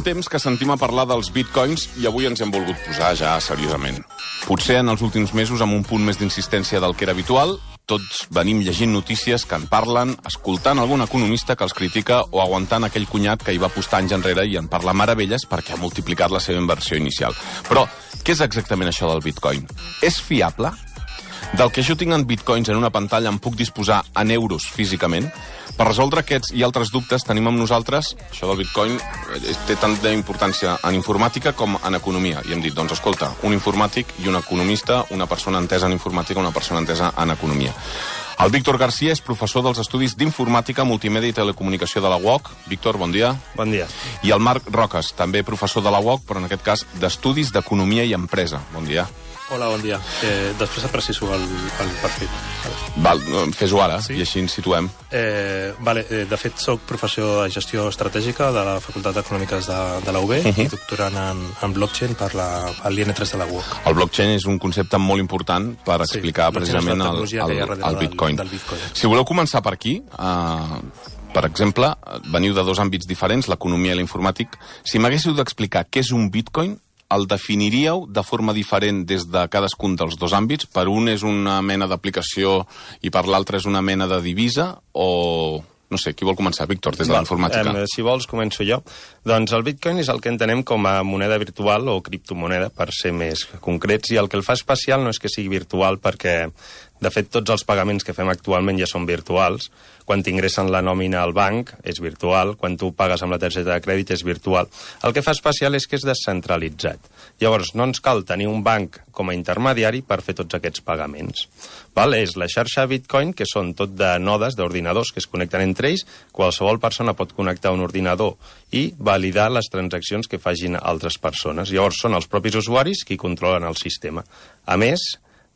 temps que sentim a parlar dels bitcoins i avui ens hem volgut posar ja seriosament. Potser en els últims mesos amb un punt més d'insistència del que era habitual, tots venim llegint notícies que en parlen, escoltant algun economista que els critica o aguantant aquell cunyat que hi va apostar anys enrere i en parla meravelles perquè ha multiplicat la seva inversió inicial. Però, què és exactament això del bitcoin? És fiable? Del que jo tinc en bitcoins en una pantalla em puc disposar en euros físicament? Per resoldre aquests i altres dubtes tenim amb nosaltres, això del bitcoin té tanta importància en informàtica com en economia. I hem dit, doncs escolta, un informàtic i un economista, una persona entesa en informàtica, una persona entesa en economia. El Víctor García és professor dels estudis d'informàtica, multimèdia i telecomunicació de la UOC. Víctor, bon dia. Bon dia. I el Marc Roques, també professor de la UOC, però en aquest cas d'estudis d'economia i empresa. Bon dia. Hola, bon dia. Després et preciso el perfil. Val, fes-ho ara, sí? I així ens situem. De fet, soc professor de gestió estratègica de la Facultat d'Econòmiques de la UB i doctorant en blockchain per l'IN3 de la UOC. El blockchain és un concepte molt important per explicar precisament el bitcoin. Si voleu començar per aquí, per exemple, veniu de dos àmbits diferents, l'economia i l'informàtic. Si m'haguéssiu d'explicar què és un bitcoin, el definiríeu de forma diferent des de cadascun dels dos àmbits? Per un és una mena d'aplicació i per l'altre és una mena de divisa? O... no sé, qui vol començar, Víctor, des de l'informàtica? Si vols, començo jo. Doncs el bitcoin és el que entenem com a moneda virtual o criptomoneda, per ser més concrets, i el que el fa especial no és que sigui virtual perquè, de fet, tots els pagaments que fem actualment ja són virtuals. Quan t'ingressen la nòmina al banc és virtual, quan tu pagues amb la targeta de crèdit és virtual. El que fa especial és que és descentralitzat. Llavors, no ens cal tenir un banc com a intermediari per fer tots aquests pagaments. És la xarxa Bitcoin, que són tot de nodes, d'ordinadors que es connecten entre ells. Qualsevol persona pot connectar un ordinador i validar les transaccions que facin altres persones. Llavors, són els propis usuaris qui controlen el sistema. A més,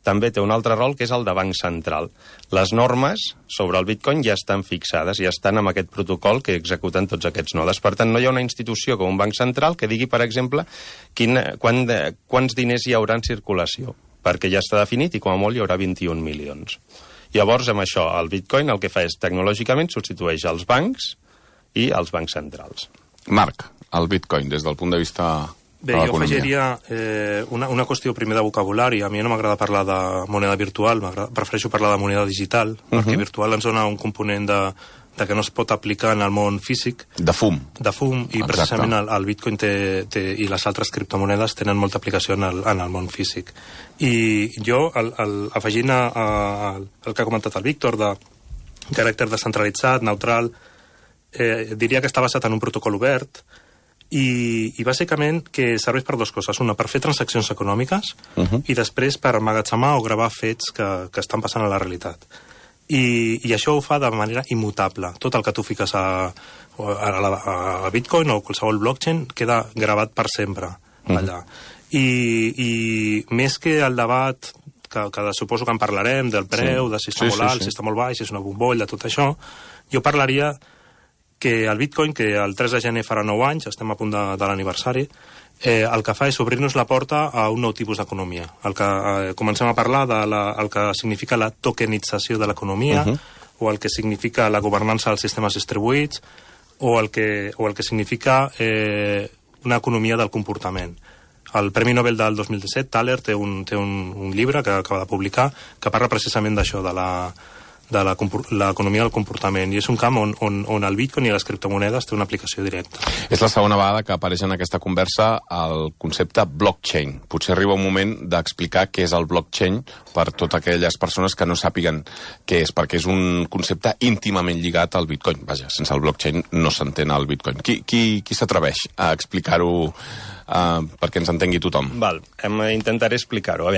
també té un altre rol, que és el de banc central. Les normes sobre el bitcoin ja estan fixades, ja estan amb aquest protocol que executen tots aquests nodes. Per tant, no hi ha una institució com un banc central que digui, per exemple, quants diners hi haurà en circulació, perquè ja està definit i com a molt hi haurà 21 milions. Llavors, amb això, el bitcoin el que fa és, tecnològicament, substitueix els bancs i els bancs centrals. Marc, el bitcoin, des del punt de vista... Bé, jo afegiria una qüestió primer de vocabulari. A mi no m'agrada parlar de moneda virtual, prefereixo parlar de moneda digital, perquè virtual ens dona un component de que no es pot aplicar en el món físic. De fum. De fum, i precisament el bitcoin i les altres criptomonedes tenen molta aplicació en el món físic. I jo, afegint el que ha comentat el Víctor, de caràcter descentralitzat, neutral, diria que està basat en un protocol obert, i bàsicament que serveix per dues coses. Una, per fer transaccions econòmiques i després per emmagatzemar o gravar fets que estan passant a la realitat. I això ho fa de manera immutable. Tot el que tu fiques a Bitcoin o qualsevol blockchain queda gravat per sempre allà. I més que el debat que suposo que en parlarem, del preu, de si està molt alt, si està molt baix, si és una bombolla, tot això, jo parlaria que el bitcoin, que el 3 de gener farà 9 anys, estem a punt de l'aniversari, el que fa és obrir-nos la porta a un nou tipus d'economia. Comencem a parlar del que significa la tokenització de l'economia, o el que significa la governança dels sistemes distribuïts, o el que significa una economia del comportament. El Premi Nobel del 2017, Thaler, té un llibre que acaba de publicar que parla precisament d'això, de l'economia del comportament, i és un camp on el bitcoin i les criptomonedes té una aplicació directa. És la segona vegada que apareix en aquesta conversa el concepte blockchain. Potser arriba un moment d'explicar què és el blockchain per totes aquelles persones que no sàpiguen què és, perquè és un concepte íntimament lligat al bitcoin. Vaja, sense el blockchain no s'entén el bitcoin. Qui s'atreveix a explicar-ho perquè ens entengui tothom? Intentaré explicar-ho.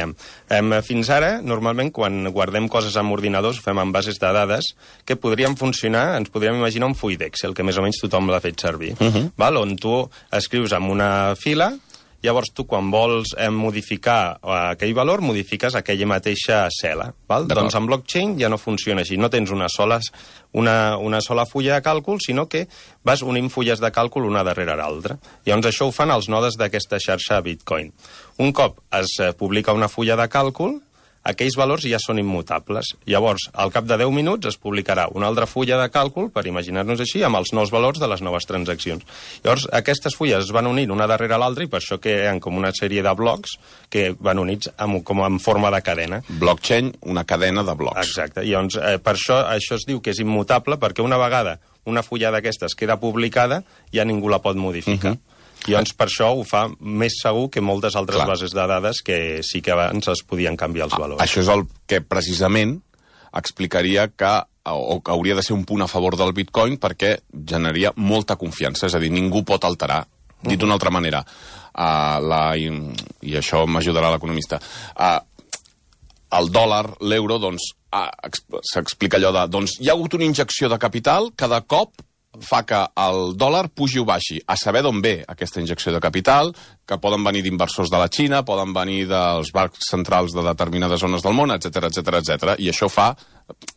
Fins ara, normalment, quan guardem coses amb ordinadors, ho fem amb bases de dades que podrien funcionar, ens podríem imaginar un full d'Excel, que més o menys tothom l'ha fet servir, on tu escrius en una fila. Llavors, tu, quan vols modificar aquell valor, modifiques aquella mateixa cel·la. Doncs en blockchain ja no funciona així. No tens una sola fulla de càlcul, sinó que vas unint fulles de càlcul una darrere l'altra. Llavors, això ho fan els nodes d'aquesta xarxa Bitcoin. Un cop es publica una fulla de càlcul, aquells valors ja són immutables. Llavors, al cap de 10 minuts es publicarà una altra fulla de càlcul, per imaginar-nos així, amb els nous valors de les noves transaccions. Llavors, aquestes fulles es van unir una darrere l'altra i per això creen com una sèrie de blocs que van units com en forma de cadena. Blockchain, una cadena de blocs. Exacte. Llavors, per això es diu que és immutable, perquè una vegada una fulla d'aquestes queda publicada, ja ningú la pot modificar. I doncs per això ho fa més segur que moltes altres bases de dades que sí que abans es podien canviar els valors. Això és el que precisament explicaria que hauria de ser un punt a favor del Bitcoin perquè generaria molta confiança, és a dir, ningú pot alterar. Dit d'una altra manera, i això m'ajudarà l'economista, el dòlar, l'euro, doncs, s'explica allò de, doncs, hi ha hagut una injecció de capital, cada cop fa que el dòlar pugi o baixi. A saber d'on ve aquesta injecció de capital, que poden venir d'inversors de la Xina, poden venir dels bancs centrals de determinades zones del món, etc etc. I això fa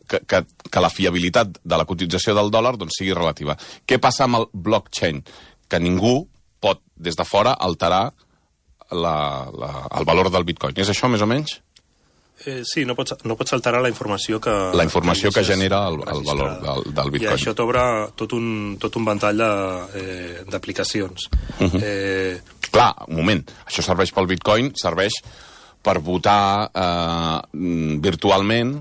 que la fiabilitat de la cotització del dòlar doncs, sigui relativa. Què passa amb el blockchain? Que ningú pot, des de fora, alterar el valor del Bitcoin. És això, més o menys? Sí, no pots alterar la informació que... La informació que genera el valor del Bitcoin. I això t'obre tot un ventall d'aplicacions. Clar, un moment. Això serveix pel Bitcoin, serveix per votar virtualment,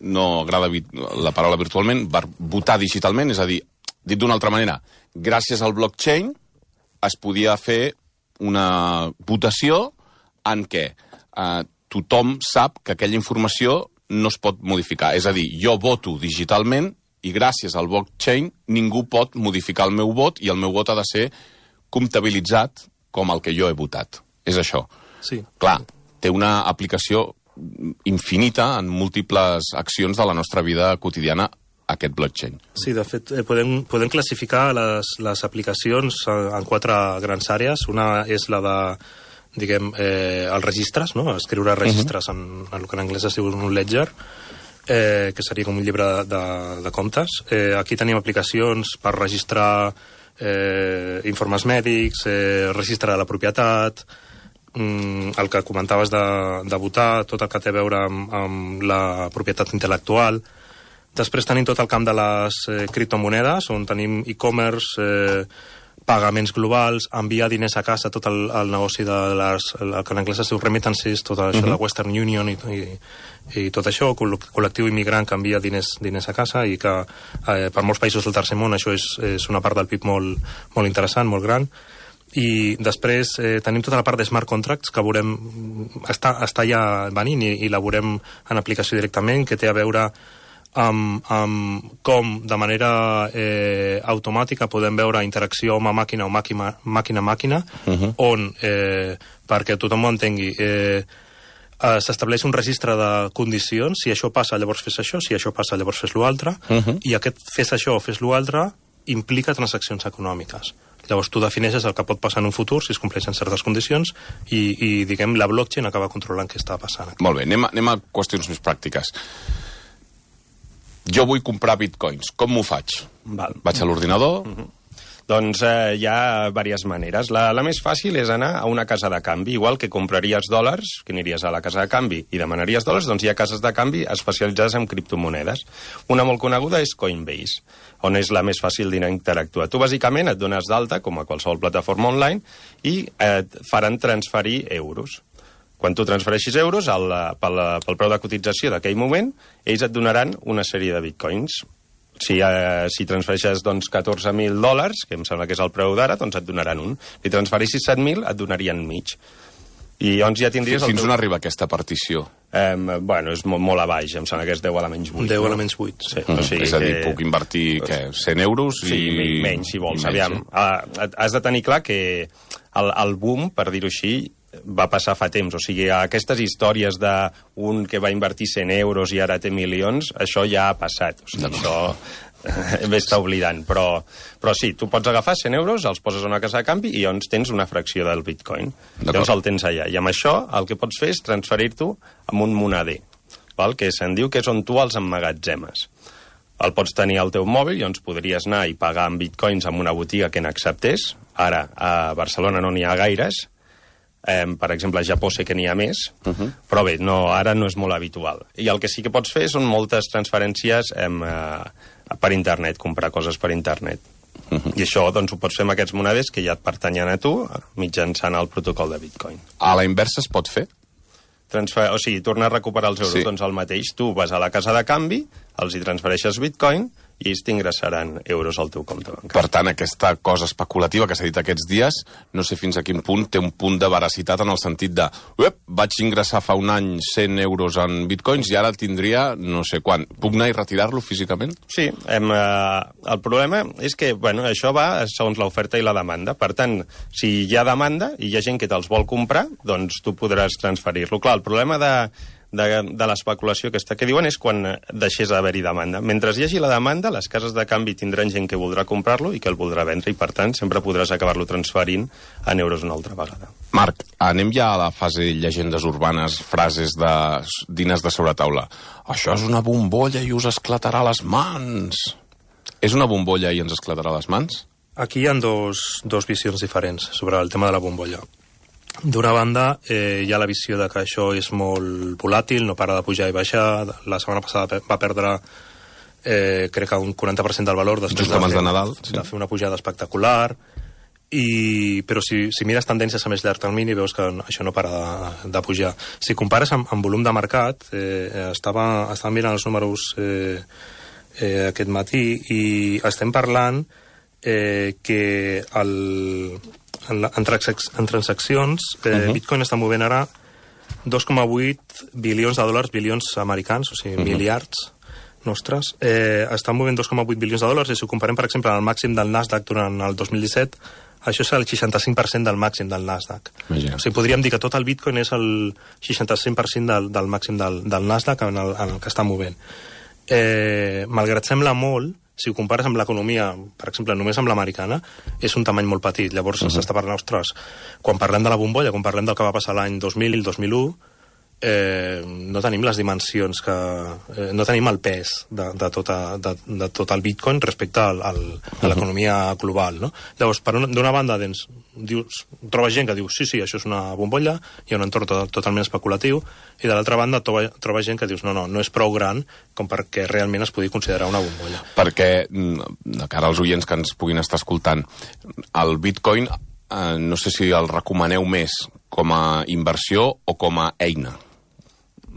no agrada la paraula virtualment, per votar digitalment, és a dir, dit d'una altra manera, gràcies al blockchain es podia fer una votació en què tothom sap que aquella informació no es pot modificar. És a dir, jo voto digitalment i gràcies al blockchain ningú pot modificar el meu vot i el meu vot ha de ser comptabilitzat com el que jo he votat. És això. Sí. Clar, té una aplicació infinita en múltiples accions de la nostra vida quotidiana aquest blockchain. Sí, de fet, podem classificar les aplicacions en 4 grans àrees. Una és la de diguem, els registres, no? Escriure registres en el que en anglès es diu un ledger, que seria com un llibre de comptes. Aquí tenim aplicacions per registrar informes mèdics, registre de la propietat, el que comentaves de votar, tot el que té a veure amb la propietat intel·lectual. Després tenim tot el camp de les criptomonedes, on tenim e-commerce, pagaments globals, enviar diners a casa, tot el negoci de el que en anglès es diu remittances, tot això de la Western Union i tot això, col·lectiu immigrant que envia diners a casa i que per molts països del tercer món això és una part del PIB molt interessant, molt gran. I després tenim tota la part de smart contracts que veurem, està ja venint i la veurem en aplicació directament, que té a veure amb com de manera automàtica podem veure interacció home-màquina o màquina-màquina, on, perquè tothom ho entengui, s'estableix un registre de condicions, si això passa llavors fes això, si això passa llavors fes l'altre, i aquest fes això o fes l'altre implica transaccions econòmiques. Llavors tu defineixes el que pot passar en un futur si es compleixen certes condicions i diguem, la blockchain acaba controlant què està passant aquí. Molt bé, anem a qüestions més pràctiques. Jo vull comprar bitcoins. Com m'ho faig? Vaig a l'ordinador? Doncs hi ha diverses maneres. La més fàcil és anar a una casa de canvi. Igual que compraries dòlars, que aniries a la casa de canvi i demanaries dòlars, doncs hi ha cases de canvi especialitzades en criptomonedes. Una molt coneguda és Coinbase, on és la més fàcil d'interactuar. Tu, bàsicament, et dones d'alta, com a qualsevol plataforma online, i et faran transferir euros. Quan tu transfereixis euros, pel preu de cotització d'aquell moment, ells et donaran una sèrie de bitcoins. Si transfereixes doncs, $14.000, que em sembla que és el preu d'ara, doncs et donaran un. Si transfereixis 7.000, et donarien mig. I llavors ja tindries... Fins on arriba aquesta partició? Bueno, és molt a baix, em sembla que és 10 a la menys 8. 10 a la menys 8. Sí. O sigui és a dir, puc invertir, 100 euros? Sí, menys, si vols. Aviam, has de tenir clar que el boom, per dir-ho així, va passar fa temps. O sigui, aquestes històries d'un que va invertir 100 euros i ara té milions, això ja ha passat. O sigui, això està oblidant. Però sí, tu pots agafar 100 euros, els poses a una casa de canvi i llavors tens una fracció del bitcoin. Llavors el tens allà. I amb això el que pots fer és transferir-t'ho amb un moneder, que se'n diu que és on tu els emmagatzemes. El pots tenir al teu mòbil, llavors podries anar i pagar amb bitcoins en una botiga que n'acceptés. Ara, a Barcelona no n'hi ha gaires. Per exemple, a Japó sé que n'hi ha més, però bé, ara no és molt habitual. I el que sí que pots fer són moltes transferències per internet, comprar coses per internet. I això doncs, ho pots fer amb aquests monedes que ja et pertanyen a tu mitjançant el protocol de Bitcoin. A la inversa es pot fer? O sigui, tornar a recuperar els euros, doncs el mateix. Tu vas a la casa de canvi, els hi transfereixes Bitcoin i ells t'ingressaran euros al teu compte bancari. Per tant, aquesta cosa especulativa que s'ha dit aquests dies, no sé fins a quin punt té un punt de veracitat en el sentit de vaig ingressar fa un any 100 euros en bitcoins i ara tindria no sé quan. Puc anar i retirar-lo físicament? Sí, el problema és que això va segons l'oferta i la demanda. Per tant, si hi ha demanda i hi ha gent que te'ls vol comprar, doncs tu podràs transferir-lo. Clar, el problema de l'especulació que diuen és quan deixés d'haver-hi demanda. Mentre hi hagi la demanda, les cases de canvi tindran gent que voldrà comprar-lo i que el voldrà vendre i, per tant, sempre podràs acabar-lo transferint en euros una altra vegada. Marc, anem ja a la fase llegendes urbanes, frases de diners de sobretaula. Això és una bombolla i us esclatarà les mans. És una bombolla i ens esclatarà les mans? Aquí hi ha dos visions diferents sobre el tema de la bombolla. D'una banda, hi ha la visió de que això és molt volàtil, no para de pujar i baixar. La setmana passada va perdre, crec que un 40% del valor després de Nadal, de fer una pujada espectacular. Però si mires tendències a més llarg termini, veus que això no para de pujar. Si compares amb volum de mercat, estava mirant els números aquest matí i estem parlant que en transaccions, Bitcoin està movent ara 2,8 bilions de dòlars, bilions americans, o sigui, miliards nostres. Estan movent 2,8 bilions de dòlars i si ho comparem, per exemple, amb el màxim del Nasdaq durant el 2017, això és el 65% del màxim del Nasdaq. Imagina. O sigui, podríem dir que tot el Bitcoin és el 65% del màxim del Nasdaq en el que està movent. Malgrat sembla molt, si ho compares amb l'economia, per exemple, només amb l'americana, és un tamany molt petit. Llavors s'està parlant, ostres, quan parlem de la bombolla, quan parlem del que va passar l'any 2000 i el 2001, no tenim les dimensions no tenim el pes de tot el Bitcoin respecte a l'economia global, no? Llavors, d'una banda, trobes gent que diu sí, això és una bombolla, hi ha un entorn totalment especulatiu, i de l'altra banda trobes gent que dius no és prou gran com perquè realment es pugui considerar una bombolla. Perquè, de cara als oients que ens puguin estar escoltant, el Bitcoin no sé si el recomaneu més com a inversió o com a eina.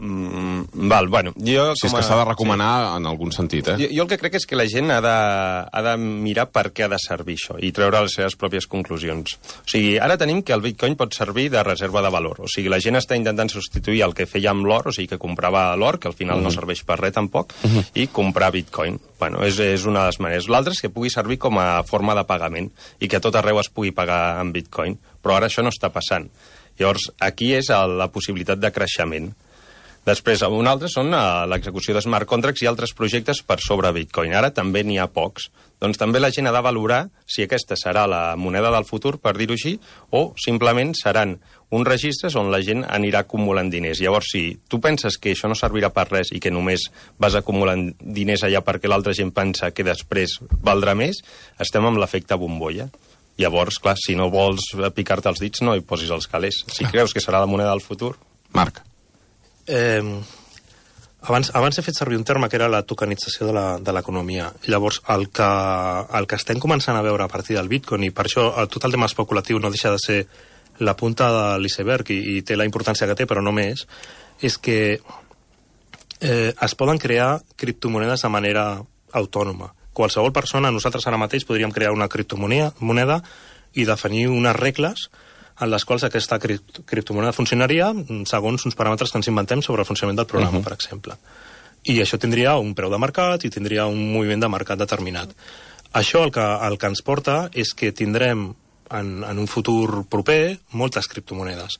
Si és que s'ha de recomanar en algun sentit, Jo el que crec és que la gent ha de mirar per què ha de servir això i treure les seves pròpies conclusions. O sigui, ara tenim que el Bitcoin pot servir de reserva de valor. O sigui, la gent està intentant substituir el que feia amb l'or, o sigui, que comprava l'or, que al final no serveix per res tampoc, i comprar Bitcoin. És una de les maneres. L'altra és que pugui servir com a forma de pagament i que a tot arreu es pugui pagar amb Bitcoin. Però ara això no està passant. Llavors, aquí és la possibilitat de creixement. Després, un altre són l'execució de smart contracts i altres projectes per sobre Bitcoin. Ara també n'hi ha pocs. Doncs també la gent ha de valorar si aquesta serà la moneda del futur, per dir-ho així, o simplement seran uns registres on la gent anirà acumulant diners. Llavors, si tu penses que això no servirà per res i que només vas acumulant diners allà perquè l'altra gent pensa que després valdrà més, estem amb l'efecte bombolla. Llavors, clar, si no vols picar-te els dits, no hi posis els calés. Si creus que serà la moneda del futur... Marc. Abans he fet servir un terme que era la tokenització de l'economia. Llavors, el que estem començant a veure a partir del Bitcoin, i per això tot el tema especulatiu no deixa de ser la punta de l'iceberg i té la importància que té, però no més, és que es poden crear criptomonedes de manera autònoma. Qualsevol persona, nosaltres ara mateix podríem crear una criptomoneda i definir unes regles en les quals aquesta criptomoneda funcionaria segons uns paràmetres que ens inventem sobre el funcionament del programa, per exemple. I això tindria un preu de mercat i tindria un moviment de mercat determinat. Això el que ens porta és que tindrem en un futur proper moltes criptomonedes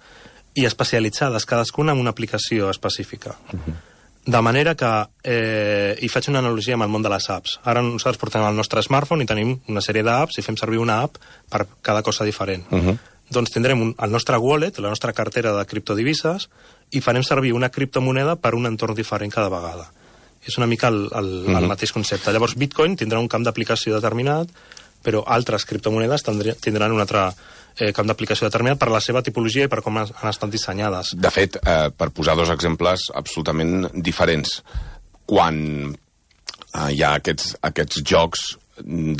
i especialitzades cadascuna en una aplicació específica. De manera que, i faig una analogia amb el món de les apps. Ara nosaltres portem el nostre smartphone i tenim una sèrie d'apps i fem servir una app per cada cosa diferent. Doncs tindrem el nostre wallet, la nostra cartera de criptodivises, i farem servir una criptomoneda per un entorn diferent cada vegada. És una mica el mateix concepte. Llavors, Bitcoin tindrà un camp d'aplicació determinat però altres criptomonedes tindran un altre camp d'aplicació determinat per la seva tipologia i per com han estat dissenyades. De fet, per posar dos exemples absolutament diferents, quan hi ha aquests jocs en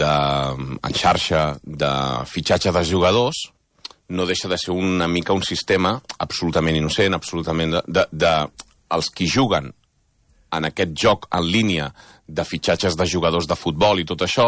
xarxa de fitxatge de jugadors, no deixa de ser una mica un sistema absolutament innocent, absolutament els qui juguen en aquest joc en línia de fitxatges de jugadors de futbol i tot això,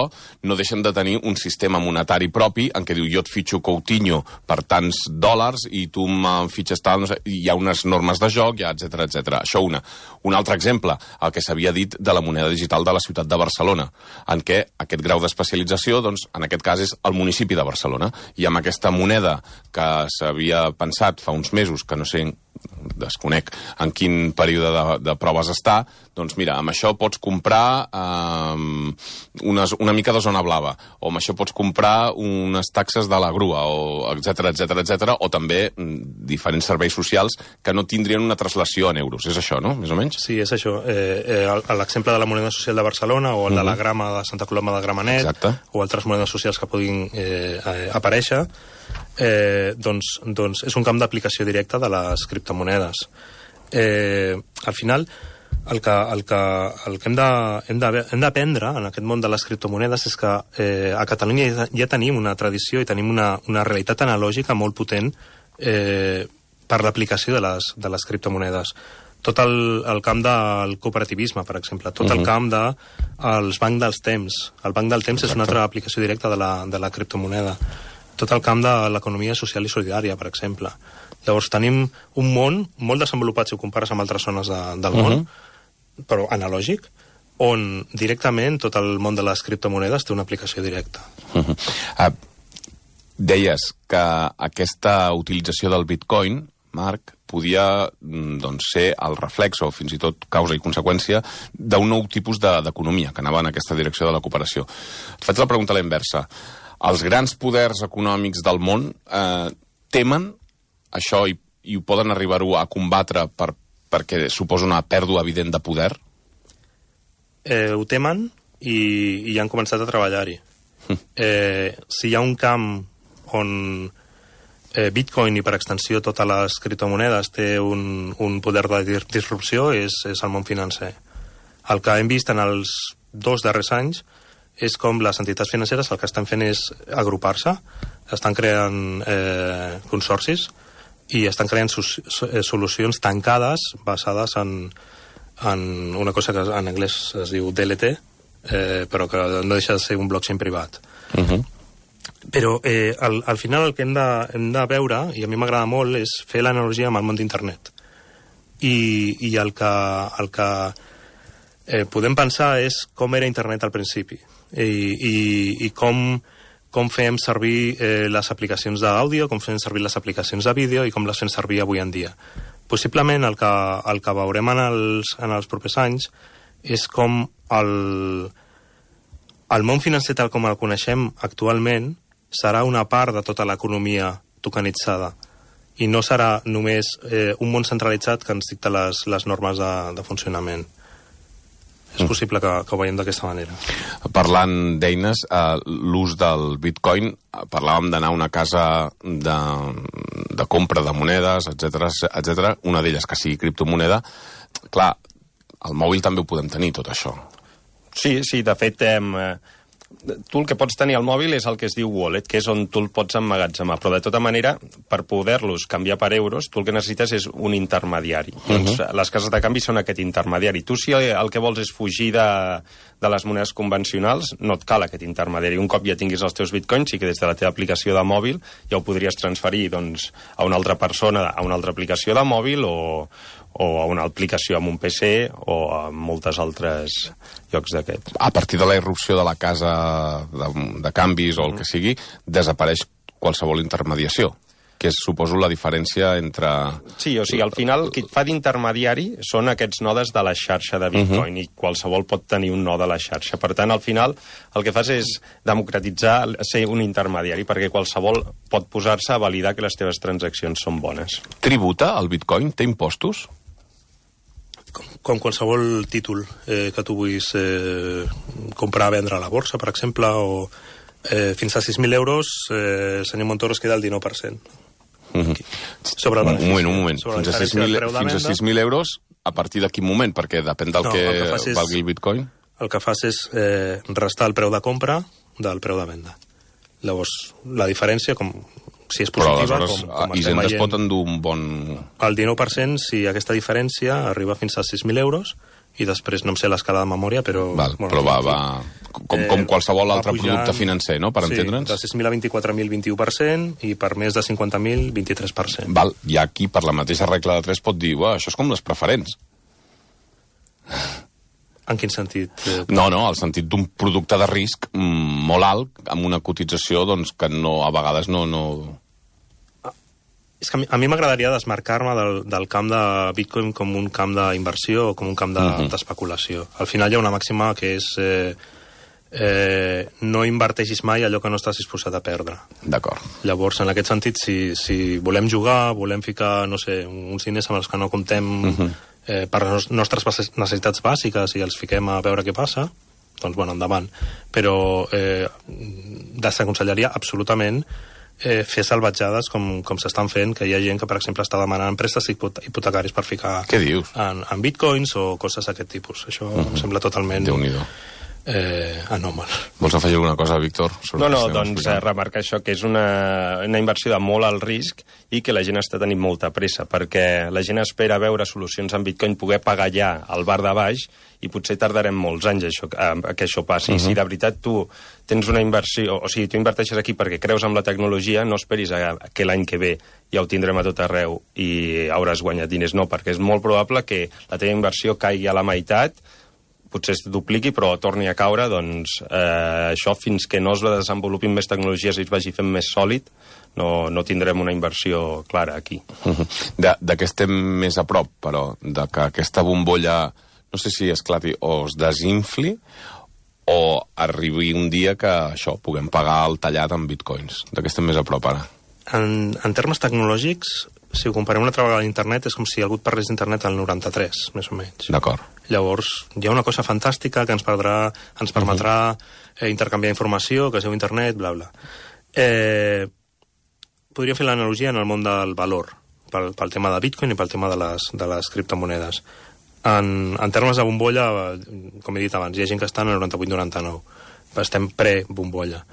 no deixen de tenir un sistema monetari propi en què diu jo et fitxo Coutinho per tants dòlars i tu me'n fitxes tal, no sé, hi ha unes normes de joc, etcètera, etcètera. Això una. Un altre exemple, el que s'havia dit de la moneda digital de la ciutat de Barcelona, en què aquest grau d'especialització, doncs, en aquest cas és el municipi de Barcelona. I amb aquesta moneda que s'havia pensat fa uns mesos, que no sé, desconec en quin període de proves està, doncs mira, amb això pots comprar una mica de zona blava, o amb això pots comprar unes taxes de la grua, o etcètera, etcètera, etcètera, o també diferents serveis socials que no tindrien una translació en euros. És això, no? Més o menys? Sí, és això. L'exemple de la moneda social de Barcelona o el de la grama de Santa Coloma de Gramenet, exacte, o altres monedes socials que puguin aparèixer, doncs és un camp d'aplicació directa de les criptomonedes. Al final, el que hem d'aprendre en aquest món de les criptomonedes és que a Catalunya ja tenim una tradició i tenim una realitat analògica molt potent per l'aplicació de les criptomonedes. Tot el camp del cooperativisme, per exemple, tot el camp dels bancs dels temps. El banc del temps és una altra aplicació directa de la criptomoneda. Tot el camp de l'economia social i solidària, per exemple. Llavors tenim un món molt desenvolupat si ho compares amb altres zones del món, però analògic, on directament tot el món de les criptomonedes té una aplicació directa. Deies que aquesta utilització del bitcoin, Marc, podia ser el reflex o fins i tot causa i conseqüència d'un nou tipus d'economia que anava en aquesta direcció de la cooperació. Et faig la pregunta a la inversa. Els grans poders econòmics del món temen això i ho poden arribar-ho a combatre perquè suposa una pèrdua evident de poder? Ho temen i han començat a treballar-hi. Si hi ha un camp on Bitcoin i per extensió totes les criptomonedes té un poder de disrupció és el món financer. El que hem vist en els 2 darrers anys és com les entitats financeres el que estan fent és agrupar-se, estan creant consorcis i estan creant solucions tancades basades en una cosa que en anglès es diu DLT, però que no deixa de ser un blockchain privat. Però al final el que hem de veure, i a mi m'agrada molt, és fer l'analogia amb el món d'internet. I el que podem pensar és com era internet al principi i com fem servir les aplicacions d'àudio, com fem servir les aplicacions de vídeo i com les fem servir avui en dia. Possiblement el que veurem en els propers anys és com el món financer tal com el coneixem actualment serà una part de tota l'economia tokenitzada i no serà només un món centralitzat que ens dicta les normes de funcionament. És possible que ho veiem d'aquesta manera. Parlant d'eines, l'ús del bitcoin, parlàvem d'anar a una casa de compra de monedes, etcètera, una d'elles que sigui criptomoneda. Clar, al mòbil també ho podem tenir, tot això. Sí, de fet, tu el que pots tenir al mòbil és el que es diu wallet, que és on tu el pots emmagatzemar, però de tota manera, per poder-los canviar per euros, tu el que necessites és un intermediari. Doncs les cases de canvi són aquest intermediari. Tu, si el que vols és fugir de les monedes convencionals, no et cal aquest intermediari. Un cop ja tinguis els teus bitcoins, sí que des de la teva aplicació de mòbil ja ho podries transferir a una altra persona, a una altra aplicació de mòbil o a una aplicació amb un PC o a moltes altres llocs d'aquests. A partir de la irrupció de la casa de canvis o el que sigui, desapareix qualsevol intermediació, que és, suposo, la diferència entre... Sí, o sigui, al final, qui et fa d'intermediari són aquests nodes de la xarxa de Bitcoin i qualsevol pot tenir un node a la xarxa. Per tant, al final, el que fas és democratitzar, ser un intermediari, perquè qualsevol pot posar-se a validar que les teves transaccions són bones. Tributa el Bitcoin? Té impostos? Com qualsevol títol que tu vulguis comprar o vendre a la borsa, per exemple, o Fins a 6.000 euros, senyor Montoro, es queda el 19%. Sobre el benefici. Un moment. Fins a 6.000 euros, a partir de quin moment? Perquè depèn del que valgui el bitcoin. El que fas és restar el preu de compra del preu de venda. Llavors, la diferència, si és positiva, però aleshores Hisenda es pot endur un bon... El 19%, si aquesta diferència arriba fins a 6.000 euros, i després no em sé l'escala de memòria, però... Però va com qualsevol altre producte financer, no?, per entendre'ns. De 6.000 a 24.000, 21%, i per més de 50.000, 23%. Val, i aquí, per la mateixa regla de 3, pot dir, això és com les preferents. En quin sentit? No, el sentit d'un producte de risc molt alt, amb una cotització doncs, que a vegades no... És que a mi m'agradaria desmarcar-me del camp de Bitcoin com un camp d'inversió o com un camp d'especulació. Al final hi ha una màxima que és no inverteixis mai allò que no estàs disposat a perdre. D'acord. Llavors, en aquest sentit, si volem jugar, volem ficar, no sé, uns diners amb els que no comptem per les nostres necessitats bàsiques i els fiquem a veure què passa, doncs, endavant. Però desaconsellaria absolutament fer salvatjades com s'estan fent, que hi ha gent que, per exemple, està demanant préstecs hipotecaris per ficar en bitcoins o coses d'aquest tipus. Això em sembla totalment anòmal. Vols afegir alguna cosa, Víctor? Doncs remarcar això, que és una inversió de molt alt risc i que la gent està tenint molta pressa, perquè la gent espera veure solucions en bitcoin, poder pagar ja al bar de baix, i potser tardarem molts anys que això passi. Si de veritat tu tens una inversió, o sigui, tu inverteixes aquí perquè creus en la tecnologia, no esperis que l'any que ve ja ho tindrem a tot arreu i hauràs guanyat diners. No, perquè és molt probable que la teva inversió caigui a la meitat, potser es dupliqui, però torni a caure, doncs això fins que no es desenvolupin més tecnologies i es vagi fent més sòlid, no tindrem una inversió clara aquí. De què estem més a prop, però? De que aquesta bombolla, no sé si esclati o es desinfli, o arribi un dia que puguem pagar el tallat en bitcoins. De què estem més a prop ara? En termes tecnològics, si ho comparem una altra vegada a internet, és com si algú et parlés d'internet al 93, més o menys. D'acord. Llavors, hi ha una cosa fantàstica que ens permetrà intercanviar informació, que es diu internet, bla, bla. Podria fer l'analogia en el món del valor, pel tema de Bitcoin i pel tema de les criptomonedes. En termes de bombolla, com he dit abans, hi ha gent que està en el 98-99. Estem pre-bombolla.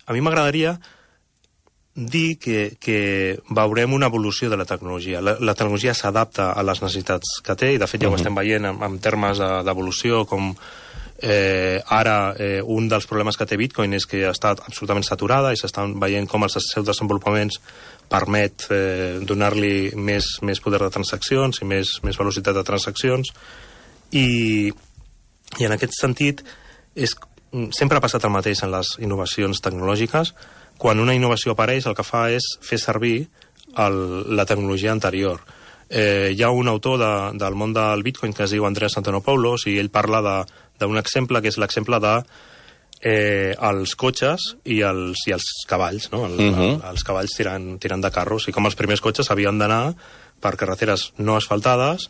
A mi m'agradaria dir que veurem una evolució de la tecnologia. La tecnologia s'adapta a les necessitats que té, i de fet ja ho estem veient en termes d'evolució, com ara un dels problemes que té Bitcoin és que ha estat absolutament saturada i s'estan veient com els seus desenvolupaments permet donar-li més poder de transaccions i més velocitat de transaccions, i en aquest sentit sempre ha passat el mateix en les innovacions tecnològiques. Quan una innovació apareix, el que fa és fer servir la tecnologia anterior. Hi ha un autor del món del Bitcoin que es diu Andreas Antonopoulos, i ell parla d'un exemple que és l'exemple de els cotxes i els cavalls, no? Els cavalls tirant de carros, i com els primers cotxes havien d'anar per carreteres no asfaltades.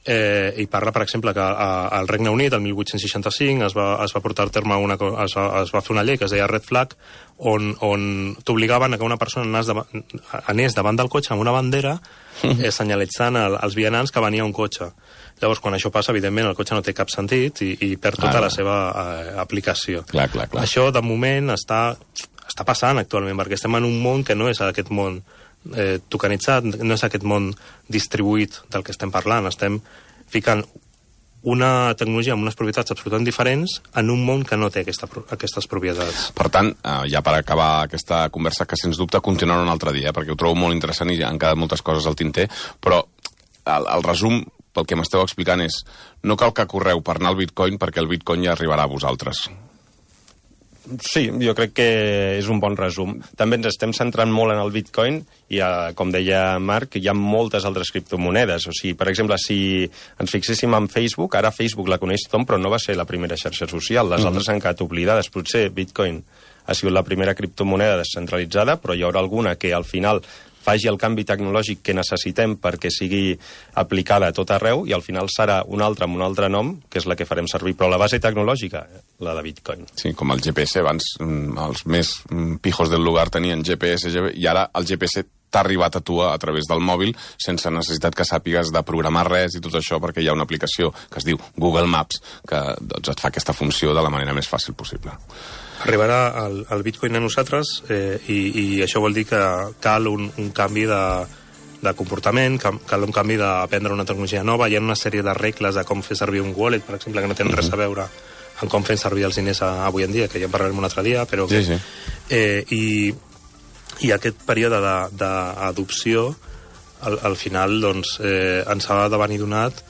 I parla, per exemple, que al Regne Unit, el 1865, es va portar a terme es va fer una llei que es deia Red Flag, on t'obligaven a que una persona anés davant del cotxe amb una bandera senyalitzant als vianants que venia un cotxe. Llavors, quan això passa, evidentment, el cotxe no té cap sentit i perd tota la seva aplicació. Clar. Això, de moment, està passant actualment, perquè estem en un món que no és aquest món tokenitzat, no és aquest món distribuït del que estem parlant. Estem ficant una tecnologia amb unes propietats absolutament diferents en un món que no té aquestes propietats. Per tant, ja per acabar aquesta conversa, que sens dubte continuarà un altre dia, perquè ho trobo molt interessant i han quedat moltes coses al tinter, però el resum, pel que m'esteu explicant, és no cal que correu per anar al Bitcoin, perquè el Bitcoin ja arribarà a vosaltres. Sí, jo crec que és un bon resum. També ens estem centrant molt en el Bitcoin i, com deia Marc, hi ha moltes altres criptomonedes. O sigui, per exemple, si ens fixéssim en Facebook, ara Facebook la coneix tothom, però no va ser la primera xarxa social. Les altres han quedat oblidades. Potser Bitcoin ha sigut la primera criptomoneda descentralitzada, però hi haurà alguna que al final faci el canvi tecnològic que necessitem perquè sigui aplicada a tot arreu, i al final serà una altra amb un altre nom, que és la que farem servir. Però la base tecnològica, la de Bitcoin. Sí, com el GPS. Abans els més pijos del lugar tenien GPS, i ara el GPS t'ha arribat a tu a través del mòbil sense necessitat que sàpigues de programar res i tot això, perquè hi ha una aplicació que es diu Google Maps que doncs, et fa aquesta funció de la manera més fàcil possible. Arribarà el Bitcoin a nosaltres i això vol dir que cal un canvi de comportament, cal un canvi d'aprendre una tecnologia nova. Hi ha una sèrie de regles de com fer servir un wallet, per exemple, que no tenen res a veure en com fem servir els diners avui en dia, que ja en parlarem un altre dia, però... Sí. I aquest període d'adopció, al final, doncs, ens ha de venir donat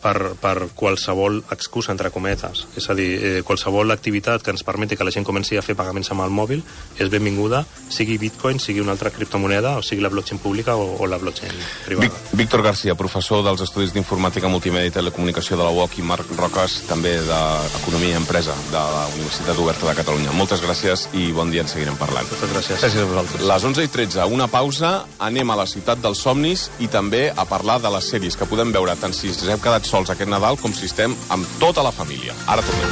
per qualsevol excusa, entre cometes. És a dir, qualsevol activitat que ens permeti que la gent comenci a fer pagaments amb el mòbil és benvinguda, sigui Bitcoin, sigui una altra criptomoneda, o sigui la blockchain pública o la blockchain privada. Víctor García, professor dels Estudis d'Informàtica, Multimèdia i Telecomunicació de la UOC, i Marc Roques, també d'Economia i Empresa de la Universitat Oberta de Catalunya. Moltes gràcies i bon dia, en seguirem parlant. Moltes gràcies. Gràcies a vosaltres. Les 11:13, una pausa, anem a la ciutat dels somnis i també a parlar de les sèries que podem veure tant si ens hem quedat sols aquest Nadal com si estem amb tota la família. Ara tornem.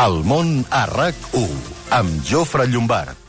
El món a RAC1 amb Jofre Llombart.